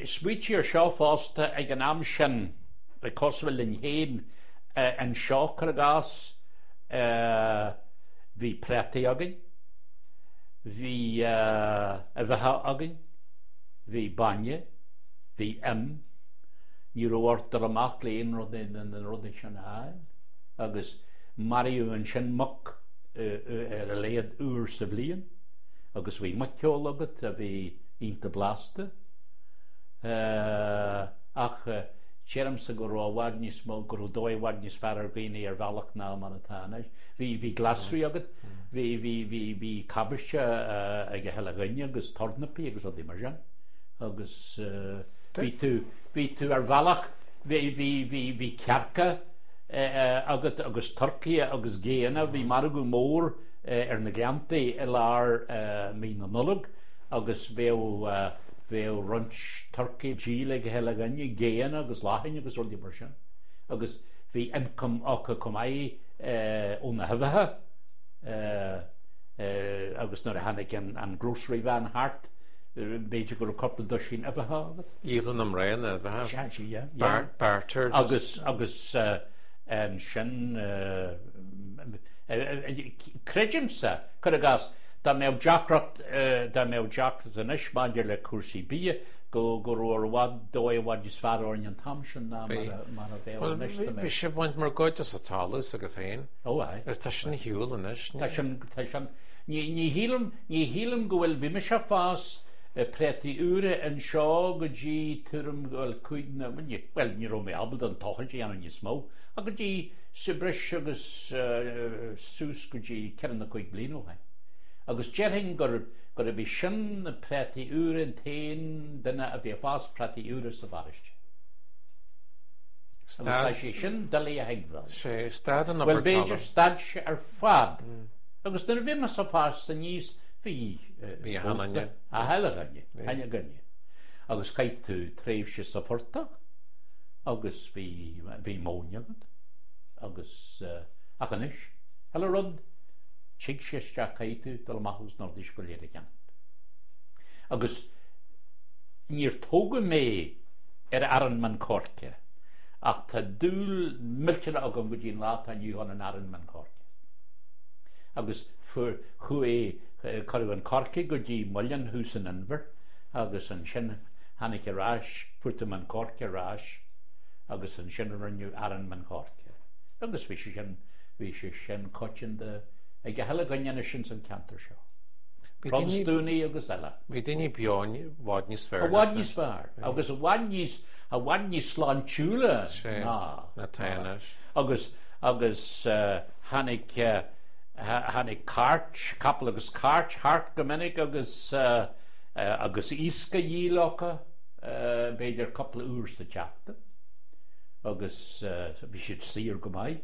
Smaoitigh ar seo fosta, ag an am sin, cosúil linn féin anseo, cuir i gcás, bhí préataí againn, bhí uibheacha againn, bhí bainne, bhí im, ní raibh ort dul amach le aon rud de na rudaí sin a fháil agus maraíodh ansin muc ar a laghad uair sa bhliain agus bhí muiceoil agat a bhí iontach blasta. Ach deirimse go raibh i bhfad níos mó, go raibh dóigh i bhfad níos fearr ar dhaoine ar bhealach ná mar atá anois. Bhí, bhí glasraí agat, bhí, bhí, bhí, bhí cabáiste ag a chuile dhuine agus tornapaí agus rudaí mar sin. Agus bhí tú, bhí tú ar bhealach, bhí, bhí, bhí, bhí cearca agat agus turcaithe agus géanna, bhí margadh mór ar na Gleanntaí i lár mí na Nollag agus bheadh, bheadh roinnt turcaí díol ag a chuile dhuine, géanna agus lachain agus rudaí mar sin. Agus bhí income acu chomh maith ó na huibheacha agus nuair a tháinig an grocery van thart, b'fhéidir go raibh cúpla duisín uibheacha agat. Dhíoladh na mná na huibheacha. Sea, sea, yeah, yeah. Barter. Agus, agus ansin, Creidimse, cuir i gcás, dá mbeadh deacracht, dá mbeadh deacracht anois maidir le cúrsaí bia, go, go raibh ar bhfad, dóigh i bhfad níos fearr orainn an t-am sin ná mar a, mar a bheadh anois dá mbeadh. Bhí sibh ag baint morgáide as an talamh s'agaibh féin. Ó aye. Agus tá sin ar shiúl anois. Tá sin, tá sin, ní, ní shílim, ní shílim go bhfuil, bhí mise ag fás préataí úra anseo go dtí tuairim, bhuel, cúig nó, bhuel, ní raibh mé ábalta an tochailt a dhéanamh níos mó, ach go dtí sa breis agus suas go dtí ceithre nó cúig bliana ó shin. Agus déarfainn gurb é sin na préataí úra an t-aon duine a bhí ag fás préataí úra sa bparóiste. Agus tá sé sin doiligh a thuigbheáil. Sé stad an obair Bhuel, b'fhéidir stad sé ar fad. Agus nuair a bhí mise ag fás aníos bhí Bhí achan duine. Achan duine, achan duine. Agus chaith tú tréimhse sa phortach agus bhí bhí móin agat agus ach anois, chuile rud, tig sé isteach caithfidh tú dul amach agus na rudaí seo go léir a cheannacht. Agus níor tógadh mé ar arán min coirce ach tá dúil millteanach agam go dtí an lá atá inniu ann in arán min coirce. Agus fuair, chuaigh, cuireadh an coirce go dtí muileann thuas san Inbhear agus ansin tháinig ar ais, fuair tú min coirce ar ais agus ansin rinneadh arán min choirce. Agus bhí sé sin, bhí sé sin coitianta ag a chuile dhuine anois ins an ceantar seo. Protastúnaigh agus eile. Bhí daoine beo i bhfad níos fearr. I bhfad níos fearr. Agus i bhfad níos, i bhfad níos sláintiúla ná. Ná tá anois. Agus, agus tháinig, tháinig cairt, capall agus cairt thart go minic agus, agus iasc á dhíol acu. b'fhéidir cúpla uair sa tseachtain agus bhí siad saor go maith.